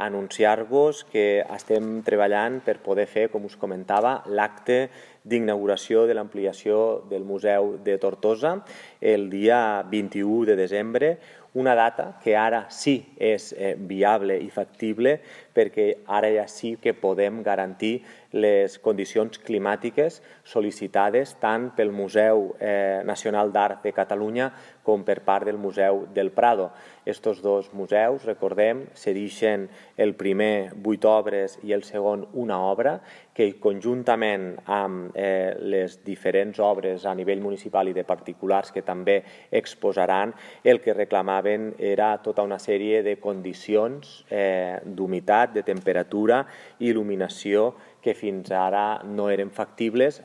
anunciar-vos que estem treballant per poder fer, com us comentava, l'acte d'inauguració de l'ampliació del Museu de Tortosa el dia 21 de desembre, una data que ara sí és viable i factible perquè ara ja sí que podem garantir les condicions climàtiques sol·licitades tant pel Museu Nacional d'Art de Catalunya com per part del Museu del Prado. Estos dos museus, recordem, cedeixen el primer 8 obres i el segon una obra que conjuntament amb les diferents obres a nivell municipal i de particulars que també exposaran, el que reclamaven era tota una sèrie de condicions d'humitat, de temperatura i il·luminació que fins ara no eren factibles